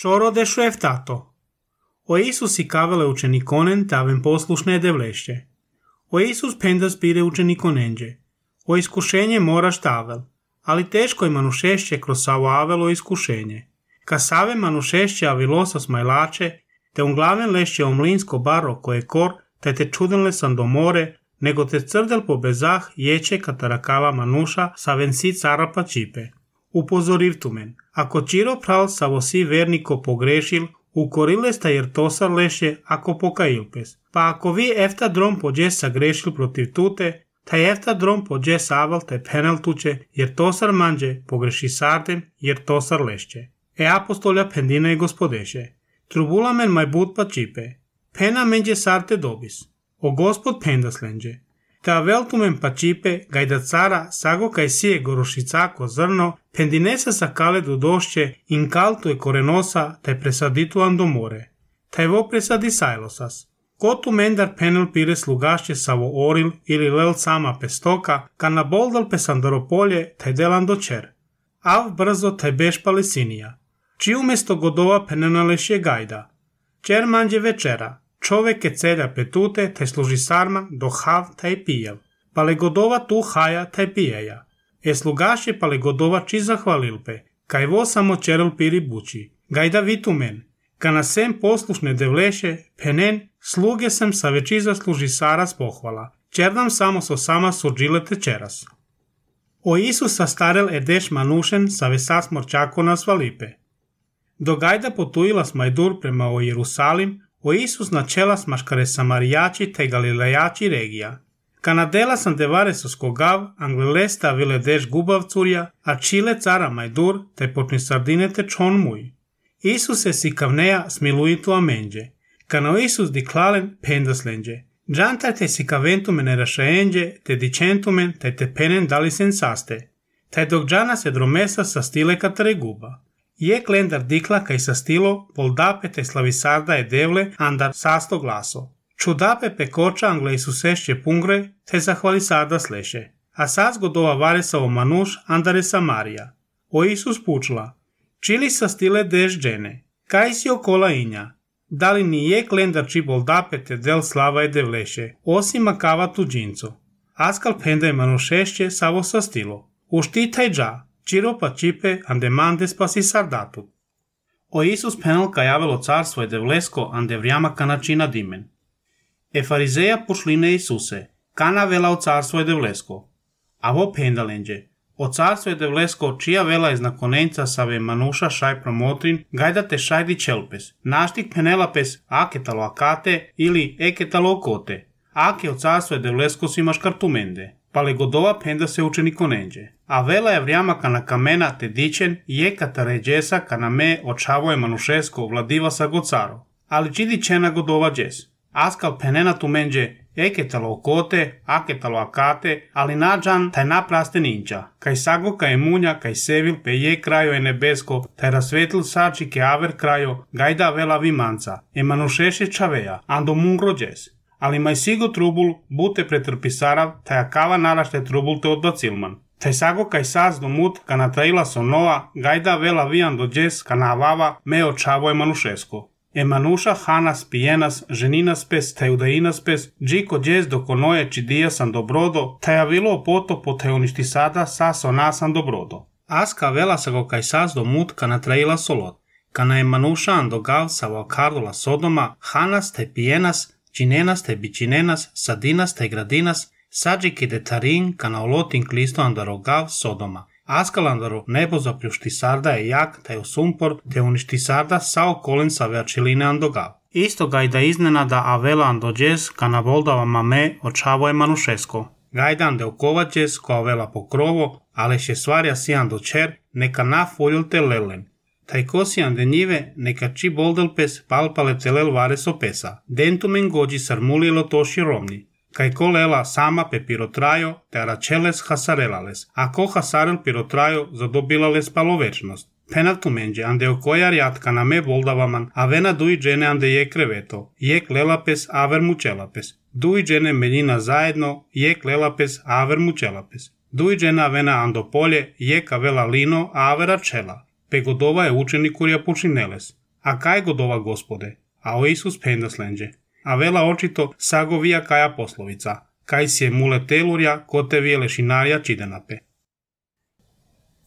Shoro deshueftato. O Iisus icavele uceniconen te avem poslušne devlește. O Iisus pendas pire učenikonenđe. O iskušenje moraš tavel, ali teško je manušešće kroz samo avelo iskušenje. Ka save manušešće avilosa smajlače, te un glaven lešće omlinsko baro koje kor, te čudenle sam do more, nego te crdel po bezah ječe katarakava manuša sa vensi cara pa čipe. Upozoriv tu men, ako čiro pral sa vosi verniko pogrešil, ukorile sta jer tosar leše ako pokailpes. Pa ako vi efta drom pođe sa grešil protiv tute, taj efta drom pođe saval te penal tuče, jer tosar manđe pogreši sardem, jer tosar lešće. Apostolja pendina i gospodeše. Trubula men maj bud pa čipe. Pena menđe sarte dobis. O gospod pendas lenđe. Ta veltumen pa čipe, gajda cara, sago kaj sije gorošicako zrno, pendinesa sa kaledu došće, in kaltu je korenosa, taj presaditu ando more. Taj vo presadi sajlosas. Kotu mendar penel pire slugašće savo oril ili lel sama pestoka, ka na boldal pesandaropolje, taj delan dočer. Av brzo taj beš palesinija. Či umesto godova penenalešje gajda. Čer manđe večera. Čovek je celja petute, taj služi sarma, do hav taj pijel. Pale godova tu haja taj pijeja. Slugaše pale godova či zahvalilpe, kaj vo samo čerel piri buči. Gajda vitumen, ka na sem poslušne devleše, penen, sluge sem sa veći zasluži saras pohvala. Čerdam samo so sama surđile tečeras. O Isusa starel edeš manušen sa vesas morčako na svalipe. Do gajda potujila smajdur prema o Jerusalim, o Isus načela smaškare samarijači te galilejači regija. Kanadela sam devare soskogav, anglelesta vile deš gubav curja, a čile cara majdur te počni sardine te čon muj. Isuse si kavneja smiluitu amenđe. Kano Isus diklalen pendas lenđe. Džantar te si kaventumen erašaenđe, te dičentumen te penen dali sensaste. Taj dok džana se dromesa sa stile katare guba. Je klendar dikla kaj sa stilo, voldape te slavisarda je devle, andar sasto glaso. Čudape pekoča angle Isusešće pungre, te zahvalisarda sleše. A saz godova varesavo manuš, andare Samarija. O Isus pučla. Čili sa stile deš džene. Kaj si okola inja? Da li ni je klendar či voldape te del slava je devleše, osim makava tuđinco. Askal penda je manušešće savo sa stilo. Uštitaj dža. Čiro pa čipe ande mandes pa si sardatut. O Isus penal ka javelo carstvo je devlesko ande vrijama kanačina dimen. Farizeja pušline Isuse, kana vela o carstvo je devlesko. A vo pendalenđe, o carstvo je devlesko čija vela je znakonenca save manuša šaj promotrin, gajda te šajdi čelpes, naštik penelapes aketalo akate ili eketalo okote. Ake o carstvo je devlesko si maškartumende. Pale godova penda se učenikonenđe. A vela je vrijama kana kamena te dičen je kataređesa kana me očavo je manušesko vladiva sa gocaro. Ali čidi čena godova džes. Askal penena tu menđe eketalo okote, aketalo akate, ali nađan taj napraste ninča. Kaj sago kaj munja, kaj sevil pe je krajo je nebesko, taj rasvetil sači ke aver krajo, gajda vela vimanca. Manušeše čaveja, ando mungro džes. Ali maj sigo trubul, bute pretrpisarav, taj akava narašte trubul te odbacilman. Taj sago kaj saz do mut, ka natraila sonova, gajda vela vijan do džes, ka navava, me očavo je manušesko. Manuša hanas pijenas, ženinas pes, taj udainas pes, džiko džes do konoje čidija sam dobrodo, taj avilo potopo taj uništi sada, saso nasan dobrodo. Aska vela sago kaj saz do mut, ka natraila solot. Kana manuša andogav sa valkardola sodoma, hanas taj pijenas, činenas te bičinenas, sadinas te gradinas, sađiki de tarin kana olotin klisto andarogav sodoma. Askal andaro nebo zapljušti sarda je jak, taj usumpor, te uništi sarda sao kolen sa veačiline andogav. Isto gajda iznenada avela andođes kana voldava mame očavo je manušesko. Gajda ande okovađes ko avela pokrovo, ale še stvarja si andočer, neka na foljul te lelen. Taj kosi ande njive, neka či boldelpes palpale telel vareso pesa. Dentumen gođi sarmulijelo toši romni. Kaj ko lela sama pe pirotrajo, te aračeles hasarelales. A ko hasarel pirotrajo, zadobilales palovečnost. Penatu menđe, ande okojar jatka na me voldavaman, a vena duj džene ande je kreveto. Jek lelapes, aver mučelapes. Duj džene meljina zajedno, jek lelapes, aver mučelapes. Duj džena vena ando polje, jek avela lino, aver ačela. Pegodova je učenik kurja pučineles. A kaj godova gospode? A o Isus pendas lenđe. A vela očito sagovija kaja poslovica. Kaj si je mule telurja, ko te vije lešinarija čidenape.